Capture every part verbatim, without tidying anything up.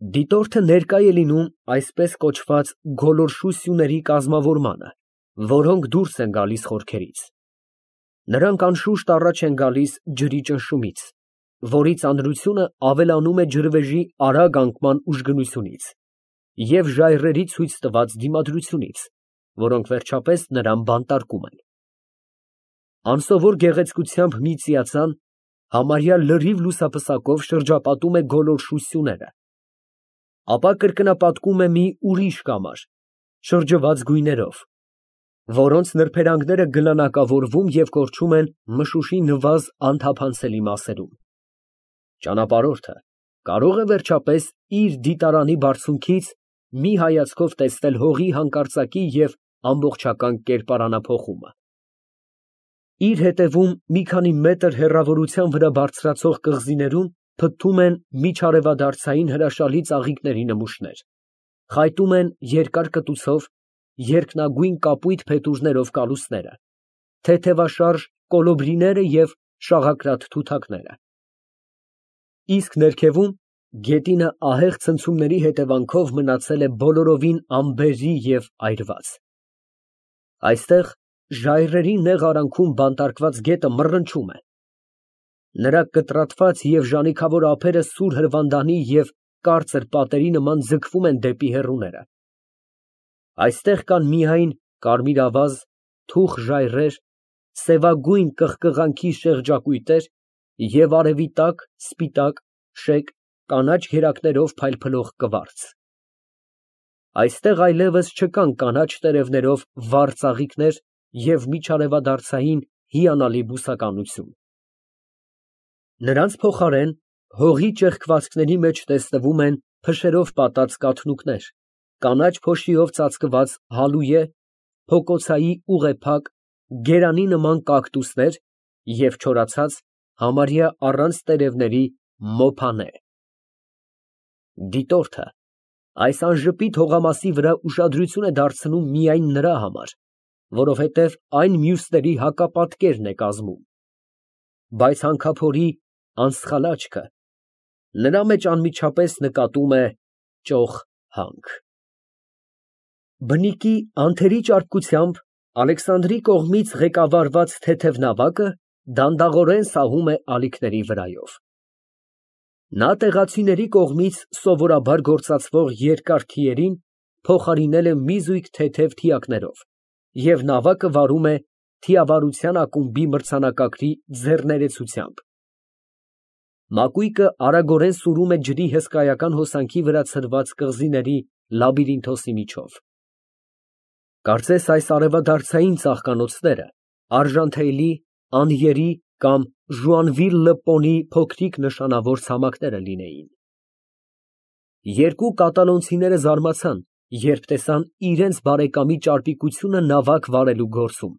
Դիտորդը ներկա է լինում այսպես կոչված գոլորշու սյուների կազմավորմանը, որոնք դուրս են գալիս խորքերից. նրանք անշուշտ առաջ են գալիս ջրի ճնշումից, որի ծանրությունը ավելանում է ջրվեժի արագ անկման ուժգնությունից և ժայռերի ցույց տված դիմադրությունից, որոնք վերջապես նրան բանտարկում են։ Անսովոր գեղեցկությամբ մի ծիածան համարյա լրիվ լուսապսակով շրջապատում է գոլորշու սյուները, ապա կրկնապատկում է մի ուրիշ կամար, շրջված գույներով, որոնց նրբերանգները գլանակավորվում և կորչում են մշուշի նվազ անթափանցելի մասերում։ Ճանապարհորդը կարող է վերջապես իր դիտարանի բարձունքից մի հայացքով տեսնել հողի հանկարծակի և ամբողջական կերպարանափոխումը։ Իր հետևում մի քանի մետր հեռավորության վրա բարձրացող կղզիներում փթթում են միջարևադարձային հրաշալի ծաղիկների նմուշներ, խայտում են երկար կտուցով, երկնագույն կապույտ փետուրներով կալուստները, թեթևաշարժ կոլոբրիները և շաղակրատ թութակները։ Իսկ ներքևում գետինը ահեղ ցնցումների հետևանքով մնացել է բոլորովին անբերրի և այրված։ Այստեղ ժայռերի նեղ արանքում բանտարկված գետը մռնչում է։ Նրա կտրատված և ժանիքավոր ափերը սուր հրվանդանի և կարծր պատերի նման ձգվում են դեպի հեռուները։ Այստեղ կան միայն կարմիրավազ, թուխ ժայռեր, սևագույն կղկղանքի շեղջակույտեր և արևի տակ սպիտակ, շեկ, կանաչ գերակներով փայլփլող կվարց։ Այստեղ այլևս չկան կանաչ տերևներով վառ ծաղիկներ և միջարևադարձային հիանալի բուսականություն։ Նրանց փոխարեն հողի ճեղքվածքների մեջ տեսնվում են փշերով պատած կաթնուկներ, կանաչ փոշիով ծածկված հալույե, փոկոցայի ուղեփակ, գերանի նման կակտուսներ և չորացած, համարյա առանց տերևների մոփանե։ Դիտորդը այս անժպիտ հողամասի վրա ուշադրություն է դարձնում միայն նրա համար, որովհետև այն մյուսների հակապատկերն է կազմում, բայց հանքափորի անսխալ աչքը նրա մեջ անմիջապես նկատում է ճոխ հանք։ Բնիկի անթերի ճարպկությամբ Ալեքսանդրի կողմից ղեկավարված թեթև նավակը դանդաղորեն սահում է ալիքների վրայով։ Նա տեղացիների կողմից սովորաբար գործածվող երկար թիերին փոխարինել է մի զույգ թեթև թիակներով և նավակը վարում է թիավարության ակումբի մրցանակակրի ձեռներեցությամբ։ Մակույկը արագորեն սուրում է ջրի հսկայական հոսանքի վրա ցրված կղզիների լաբիրինթոսի միջով։ Կարծես այս արևադարձային ծաղկանոցները արժանթելի, անյերի կամ Ժուանվիլ֊լը֊Պոնի փոքրիկ նշանավոր ցամաքները լինեին։ Երկու կատալոնցիները զարմացան, երբ տեսան իրենց բարեկամի ճարպիկությունը նավակ վարելու գործում։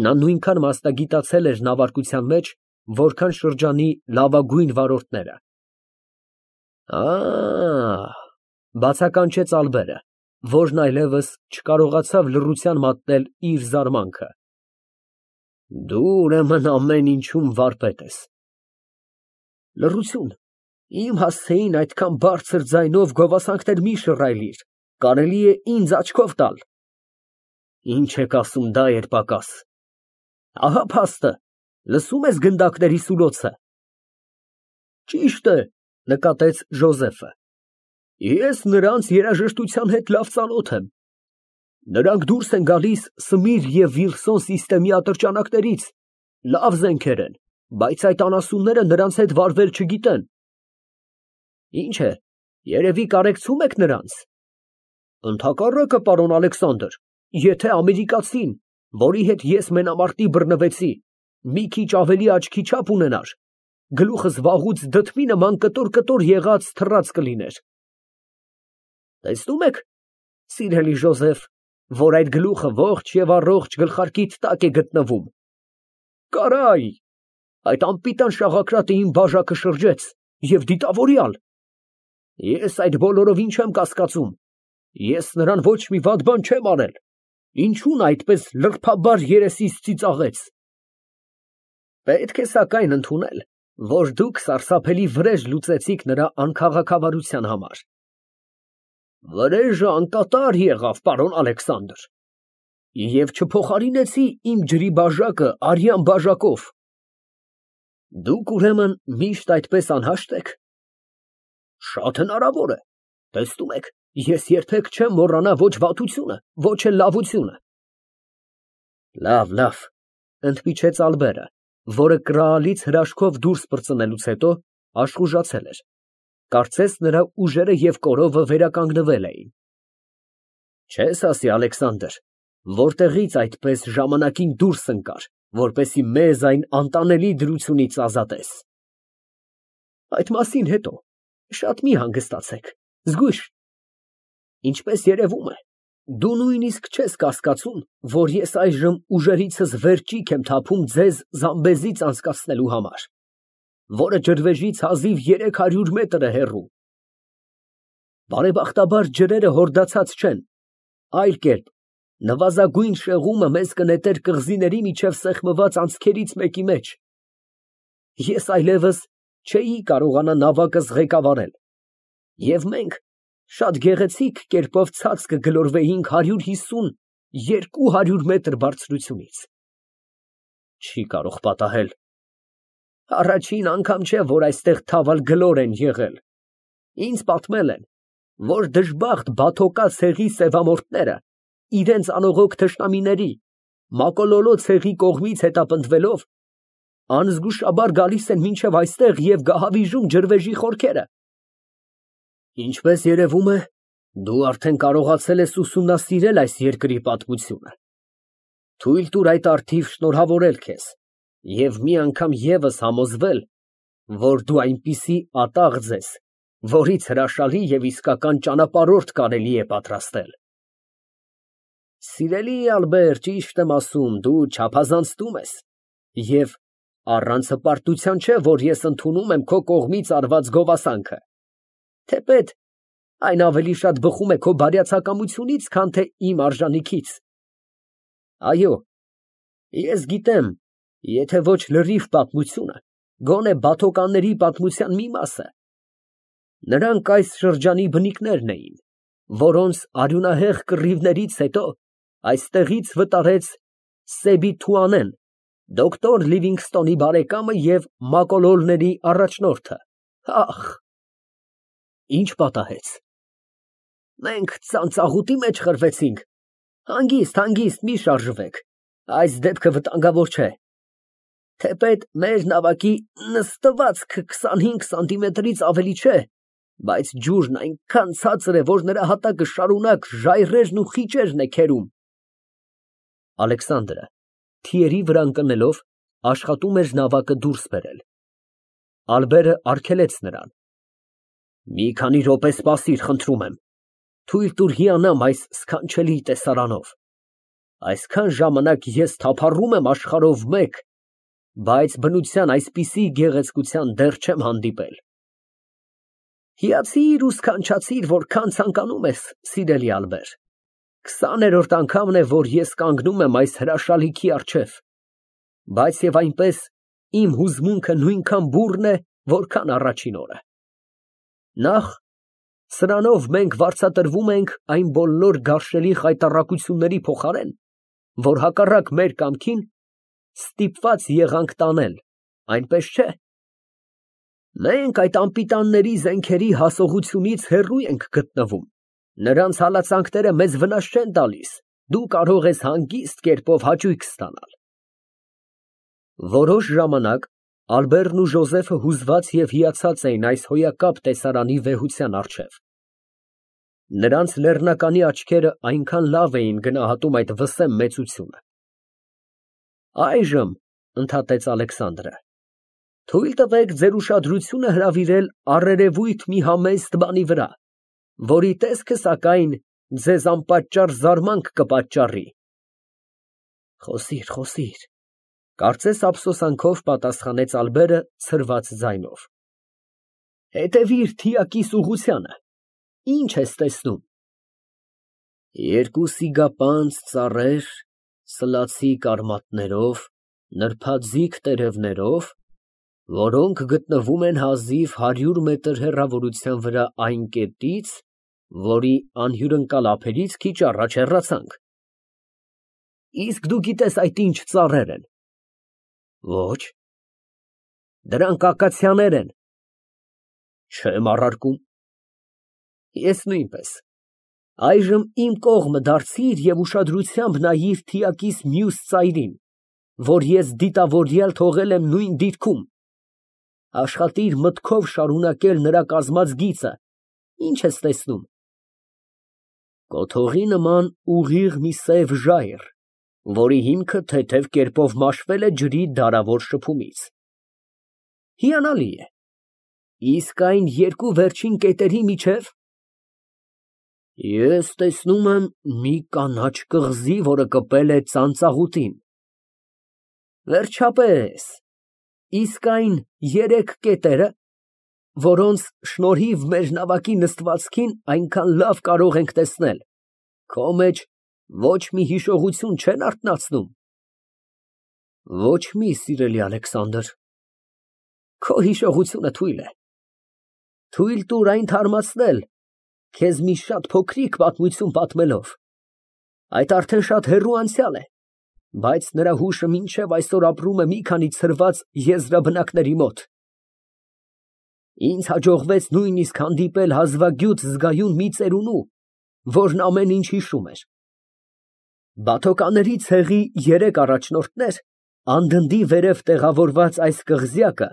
Նա նույնքան մասնագիտացել էր նավարկության մեջ, որքան շրջանի լավագույն վարորդները։ Ա՜, բացականչեց Ալբերը, որն այլևս չկարողացավ լռության մատնել իր զարմանքը։ Դու, ուրեմն, ամեն ինչում վարպետ ես։ Լռություն, իմ հասցեին այդքան բարձր ձայնով գովասանքներ մի շռայլիր, կարելի է ինձ աչքով տալ։ Ինչ եք ասում, դա էր պակաս։ Ահա փաստը, լսո՞ւմ ես գնդակների սուլոցը։ Ճիշտ է, նկատեց Ժոզեֆը, ես նրանց երաժշտության հետ լավ ծանոթ եմ։ Նրանք դուրս են գալիս Սմիր և Վիլսոն սիստեմի ատրճանակներից, լավ զենքեր են, բայց այդ անասունները նրանց հետ վարվել չգիտեն։ Ինչ է, երևի կարեկցում եք նրանց։ Ընդհակառակը, պարոն Ալեքսանդր, եթե ամերիկացին, որի հետ ես մենամարտի բռնվեցի, մի քիչ ավելի աչքի չափ ունենար, գլուխս վաղուց դդմի նման կտոր֊կտոր եղած թռած կլիներ։ Տեսնում եք, սիրելի Ժոզեֆ, որ այդ գլուխը ողջ և առողջ գլխարկիդ տակ է գտնվում։ Կարայ, այդ անպիտան շաղակրատը իմ բաժակը շրջեց և դիտավորյալ։ Ես այդ բոլորովին չեմ կասկածում, ես նրան ոչ մի վատ բան չեմ արել, ինչու նա այդպես լրբաբար երեսից ծիծաղեց։ Պետք է սակայն ընդունել, որ դուք սարսափելի վրեժ լուծեցիք նրա անքաղաքավարության համար։ Վրեժը անկատար եղավ, պարոն Ալեքսանդր, և չփոխարինեցի իմ ջրի բաժակը արյան բաժակով։ Դուք, ուրեմն, միշտ այդպես անհաշտ եք։ Շատ հնարավոր է, տեսնում եք, ես երբեք չեմ մոռանա ոչ վատությունը, ոչ էլ լավությունը։ Լավ, լավ, ընդմիջեց Ալբերը, որը կրալից հրաշքով դուրս պրծնելուց հետո աշխուժացել էր, կարծես նրա ուժերը և կորովը վերականգնվել էին։ Չես ասի, Ալեքսանդր, որտեղից այդպես ժամանակին դուրս ընկար, որպեսզի մեզ այն անտանելի դրությունից ազատես։ Այդ մասին հետո, շատ մի հանգստացեք, զգույշ։ Ինչպես երևում է, դու նույնիսկ չես կասկածում, որ ես այժմ ուժերիցս վերջիք եմ թափում ձեզ Զամբեզից անցկացնելու համար, որը ջրվեժից հազիվ երեք հարյուր մետր է հեռու։ Բարեբախտաբար ջրերը հորդացած չեն, այլ կերպ, նվազագույն շեղումը մեզ կնետեր կղզիների միջև սեղմված անցքերից մեկի մեջ։ Ես այլևս չէի կարողանա նավակս ղեկավարել, և մենք շատ գեղեցիկ կերպով ցած կգլորվեինք հարյուր հիսուն երկու հարյուր մետր բարձրությունից։ Չի կարող պատահել։ Առաջին անգամ չէ, որ այստեղ թավալ գլոր են եղել։ Ինձ պատմել են, որ դժբախտ բաթոկա ցեղի սևամորթները իրենց անողոք թշնամիների Մակոլոլո ցեղի կողմից հետապնդվելով անզգուշաբար գալիս են մինչև այստեղ և գահավիժում ջրվեժի խորքերը։ Ինչպես երևում է, դու արդեն կարողացել ես ուսումնասիրել այս երկրի պատմությունը։ Թույլ տուր այդ առթիվ շնորհավորել քեզ և մի անգամ ևս համոզվել, որ դու այնպիսի ատաղձ ես, որից հրաշալի և իսկական ճանապարհորդ կարելի է պատրաստել։ Սիրելի Ալբեր, ճիշտ եմ ասում, դու չափազանցնում ես, և առանց հպարտության չէ, որ ես ընդունում եմ քո կողմից արված գովասանքը, թեպետ այն ավելի շատ բխում է քո բարյացակամությունից, քան թե իմ արժանիքից։ Այո, ես գիտեմ, եթե ոչ լրիվ պատմությունը, գոնե բաթոկանների պատմության մի մասը։ Նրանք այս շրջանի բնիկներն էին, որոնց արյունահեղ կռիվներից հետո այստեղից վտարեց Սեբի Թուանեն, դոկտոր Լիվինգստոնի բարեկամը և մակոլոլների առաջնորդը։ Ախ, ինչ պատահեց։ Մենք ծանծաղուտի մեջ խրվեցինք։ Հանգիստ, հանգիստ, մի շարժվեք, այս դեպքը վտանգավոր չէ։ Թեպետ մեր նավակի նստվածքը քսանհինգ սանտիմետրից ավելի չէ, բայց ջուրն այնքան ցածր է, որ նրա հատակը շարունակ ժայռերն ու խիճերն է քերում։ Ալեքսանդրը, թիերի վրա ընկնելով, աշխատում էր նավակը դուրս բերել։ Ալբերը արգելեց նրան. Մի քանի րոպե սպասիր, խնդրում եմ, թույլ տուր հիանամ այս սքանչելի տեսարանով։ Այսքան ժամանակ ես թափառում եմ աշխարհով մեկ, բայց բնության այսպիսի գեղեցկության դեռ չեմ հանդիպել։ Հիացիր ու սքանչացիր, որքան ցանկանում ես, սիրելի Ալբեր։ Քսաներորդ անգամն է, որ ես կանգնում եմ այս հրաշալիքի առջև, բայց և այնպես իմ հուզմունքը նույնքան բուռն է, որքան առաջին օրը։ Նախ, սրանով մենք վարձատրվում ենք այն բոլոր գարշելի խայտառակությունների փոխարեն, որ հակառակ մեր կամքին ստիպված եղանք տանել, այնպես չէ։ Մենք այդ անպիտանների զենքերի հասողությունից հեռու ենք գտնվում, նրանց հալածանքները մեզ վնաս չեն տալիս, դու կարող ես հանգիստ կերպով հաճույք ստանալ։ Որոշ ժամանակ Ալբերն ու Ժոզեֆը հուզված և հիացած էին այս հոյակապ տեսարանի վեհության առջև։ Նրանց լեռնականի աչքերը այնքան լավ էին գնահատում այդ վսեմ մեծությունը։ Այժմ, ընդհատեց Ալեքսանդրը, թույլ տվեք ձեր ուշադրությունը հրավիրել առերևույթ մի համեստ բանի վրա, որի տեսքը, սակայն, ձեզ անպատճառ զարմանք կպատճառի։ Խոսիր, խոսիր, կարծես ափսոսանքով պատասխանեց Ալբերը ցրված ձայնով։ Հետևիր թիակիս ուղղությանը, ինչ ես տեսնում։ Երկու սիգապանծ ծառեր, սլացիկ արմատներով, նրբաձիգ տերևներով, Որոնք գտնվում են հազիվ հարյուր մետր հեռավորության վրա այն կետից, որի անհյուրընկալ ափերից քիչ առաջ հեռացանք։ Իսկ դու գիտես այդ ինչ ծառեր են։ Ոչ։ Դրանք ակացիաներ են։ Չեմ առարկում։ Ես նույնպես։ Այժմ իմ կողմը դարձիր և ուշադրությամբ նայիր թիակիս մյուս ծայրին, որ ես դիտավորյալ թողել եմ նույն դիրքում, աշխատիր մտքով շարունակել նրա կազմած գիծը, ինչ ես տեսնում։ Կոթողի նման ուղիղ մի սև ժայռ, որի հիմքը թեթև կերպով մաշվել է ջրի դարավոր շփումից։ Հիանալի է, իսկ այն երկու վերջին կետերի միջև։ Ես տեսնում եմ մի կանաչ կղզի, որը կպել է ծանծաղուտին։ Վերջապես, իսկ այն երեք կետերը, որոնց շնորհիվ մեր նավակի նստվածքին այնքան լավ կարող ենք տեսնել, քո մեջ ոչ մի հիշողություն չեն արթնացնում։ Ոչ մի, սիրելի Ալեքսանդր, քո հիշողությունը թույլ է։ Թույլ տուր այն թարմացնել, քեզ մի շատ փոքրիկ պատմություն պատմելով։ Այդ արդեն շատ հեռու անցյալ է, բայց նրա հուշը մինչև այսօր ապրում է մի քանի ցրված եզրաբնակների մոտ։ Ինձ հաջողվեց նույնիսկ հանդիպել հազվագյուտ զգայուն մի ծերունու, որն ամեն ինչ հիշում էր։ Բաթոկաների ցեղի երեք առաջնորդներ, անդնդի վերև տեղավորված այս կղզյակը,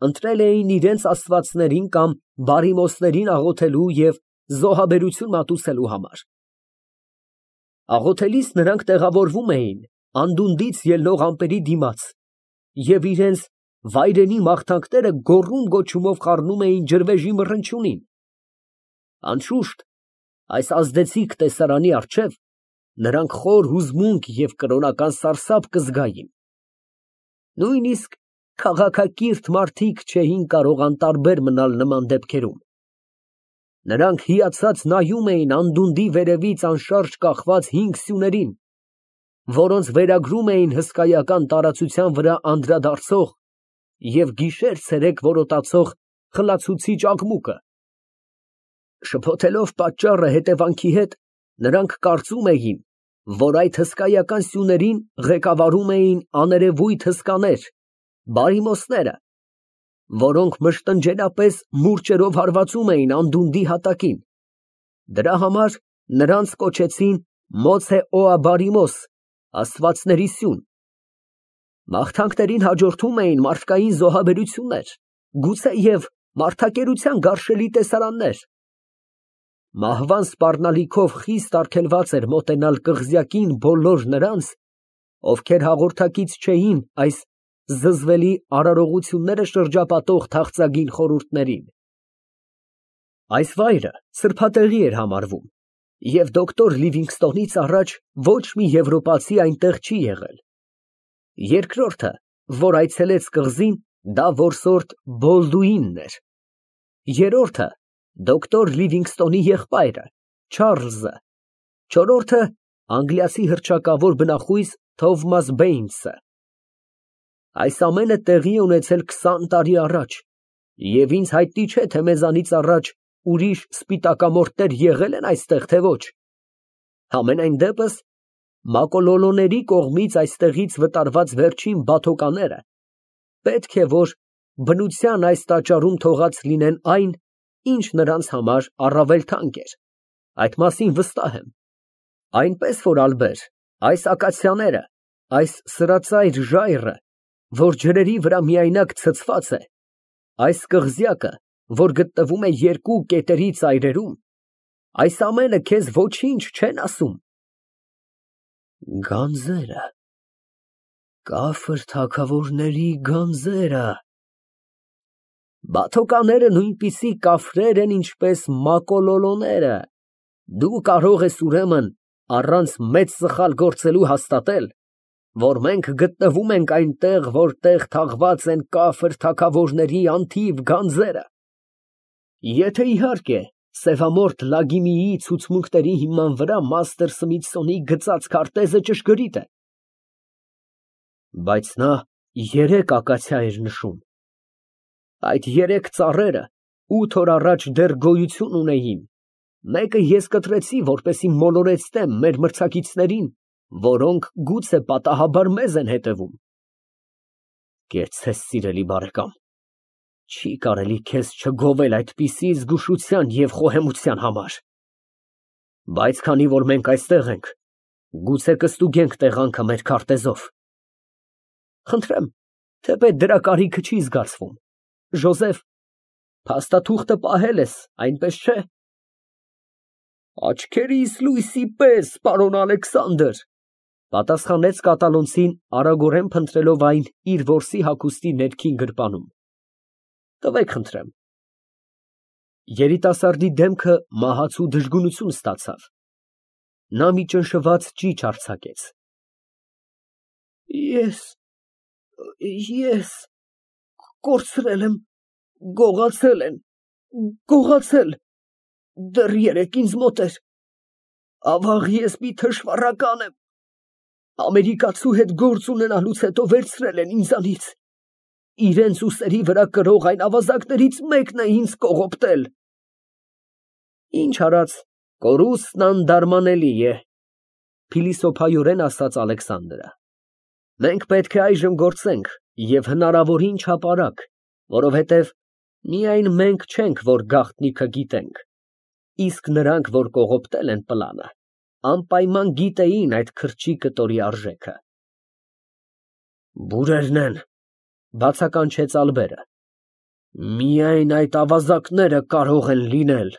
ընտրել էին իրենց աստվածներին կամ բարիմոսներին աղոթելու և զոհաբերություն մատուցելու համար։ Աղոթելիս նրանք տեղավորվում էին անդունդից ելնող ամպերի դիմաց և իրենց վայրենի մաղթանքները գոռում֊գոչումով խառնում էին ջրվեժի մռնչյունին։ Անշուշտ, այս ազդեցիկ տեսարանի առջև նրանք խոր հուզմունք և կրոնական սարսափ կզգային։ Նույնիսկ քաղաքակիրթ մարդիկ չէին կարող անտարբեր մնալ նման դեպքերում։ Նրանք հիացած նայում էին անդունդի վերևից անշարժ կախված հինգ սյուներին, որոնց վերագրում էին հսկայական տարածության վրա անդրադարձող և գիշեր֊ցերեկ որոտացող խլացուցիչ աղմուկը։ Շփոթելով պատճառը հետևանքի հետ, նրանք կարծում էին, որ այդ հսկայական սյուներին ղեկավարում էին աներևույթ հսկաներ, բարիմոսները, որոնք մշտնջենապես մուրճերով հարվածում էին անդունդի հատակին։ Դրա համար նրանց կոչեցին Մոցեոաբարիմոս, աստվածների սյուն։ Մաղթանքներին հաջորդում էին մարդկային զոհաբերություններ, գուցեև մարդակերության գարշելի տեսարաններ։ Մահվան սպառնալիքով խիստ արգելված էր մոտենալ կղզյակին բոլոր նրանց, ովքեր հաղորդակից չէին այս զզվելի արարողությունները շրջապատող թախծագին խորհուրդներին։ Այս վայրը սրբատեղի էր համարվում, և դոկտոր Լիվինգստոնից առաջ ոչ մի եվրոպացի այնտեղ չի եղել։ Երկրորդը, որ այցելեց կղզին, դա որսորդ Բոլդուինն էր։ Երրորդը դոկտոր Լիվինգստոնի եղբայրը Չարլզը, չորրորդը անգլիացի հռչակավոր բնախույս Թովմաս Բեյնսը։ Այս ամենը տեղի է ունեցել քսան տարի առաջ, և ինձ հայտնի չէ, թե մեզանից առաջ ուրիշ սպիտակամորթներ եղել են այստեղ, թե ոչ։ Համենայն դեպս, մակոլոլոների կողմից այստեղից վտարված վերջին բաթոկաները պետք է որ բնության այս տաճարում թողած լինեն այն, ինչ նրանց համար առավել թանկ էր, այդ մասին վստահ եմ։ Այնպես որ, Ալբեր, այս ակացիաները, այս սրածայր ժայռը, որ ջրերի վրա միայնակ ցցված է, այս կղզյակը, որ գտնվում է երկու կետերի ծայրերում, այս ամենը քեզ ոչինչ չեն ասում։ Գանձերը, կաֆր թագավորների գանձերը։ Բաթոկաները նույնպիսի կաֆրեր են, ինչպես մակոլոլոները։ Դու կարող ես ուրեմն առանց մեծ սխալ գործելու հաստատել, որ մենք գտնվում ենք այնտեղ, որտեղ թաղված են կաֆր թագավորների անթիվ գանձերը։ Եթե, իհարկե, սևամորթ Լագիմիի ցուցմունքների հիման վրա մաստր Սմիթսոնի գծած քարտեզը ճշգրիտ է։ Բայց նա երեք ակացիա էր նշում։ Այդ երեք ծառերը ութ օր առաջ դեռ գոյություն ունեին, մեկը ես կտրեցի, որպեսզի մոլորեցնեմ մեր մրցակիցներին, որոնք գուցե պատահաբար մեզ են հետևում։ Կեցցես, սիրելի բարեկամ, չի կարելի քեզ չգովել այդպիսի զգուշության և խոհեմության համար։ Բայց քանի որ մենք այստեղ ենք, գուցե կստուգենք տեղանքը մեր քարտեզով։ Խնդրեմ, թեպետ դրա կարիքը չի զգացվում, Ժոզեֆ, փաստաթուղթը պահել ես, այնպես չէ։ Աչքերիս լույսի պես, պարոն Ալեքսանդր, պատասխանեց կատալոնցին, արագորեն փնտրելով այն իր որսի հագուստի ներքին գրպանում։ Տվեք, խնդրեմ։ Երիտասարդի դեմքը մահացու դժգունություն ստացավ։ Նա մի ճնշված ճիչ արձակեց։ Ես… ես… կորցրել եմ, գողացել են, գողացել… դեռ երեկ ինձ մոտ էր… ավաղ, ես մի թշվառական եմ… ամերիկացու հետ գործ ունենալուց հետո վերցրել են ինձանից… իրենց ուսերի վրա կրող այն ավազակներից մեկն է ինձ կողոպտել… Ինչ արած, կորուստն անդարմանելի է, փիլիսոփայորեն ասաց Ալեքսանդրը։ Մենք պետք է այժմ գործենք և հնարավորին չափ արագ, որովհետև միայն մենք չենք, որ գաղտնիքը գիտենք, իսկ նրանք, որ կողոպտել են պլանը, անպայման գիտեին այդ քրչի կտորի արժեքը։ Բուրերն են, բացականչեց Ալբերը, միայն այդ ավազակները կարող են լինել։